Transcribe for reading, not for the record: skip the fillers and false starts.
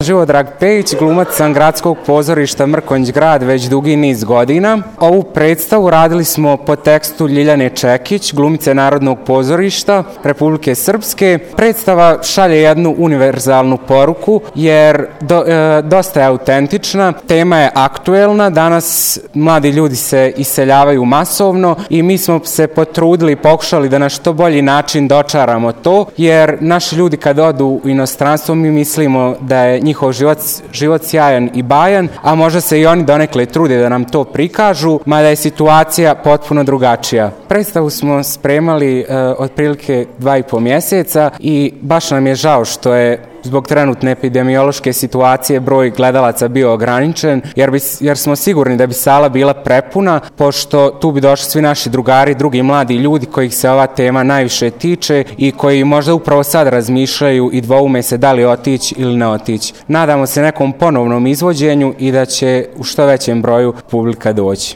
Živodrag Pejić, glumac sam Gradskog pozorišta Mrkonjić Grad već dugi niz godina. Ovu predstavu radili smo po tekstu Ljiljane Čekić, glumice Narodnog pozorišta Republike Srpske. Predstava šalje jednu univerzalnu poruku jer dosta je autentična, tema je aktuelna, danas mladi ljudi se iseljavaju masovno i mi smo se potrudili i pokušali da na što bolji način dočaramo to, jer naši ljudi kad odu u inostranstvo mi mislimo da je njihov život sjajan i bajan, a možda se i oni donekle trude da nam to prikažu, mada je situacija potpuno drugačija. Predstavu smo spremali otprilike 2,5 mjeseca i baš nam je žao što je zbog trenutne epidemiološke situacije broj gledalaca bio ograničen, jer smo sigurni da bi sala bila prepuna, pošto tu bi došli svi naši drugari, drugi mladi ljudi kojih se ova tema najviše tiče i koji možda upravo sad razmišljaju i dvoume se da li otići ili ne otići. Nadamo se nekom ponovnom izvođenju i da će u što većem broju publika doći.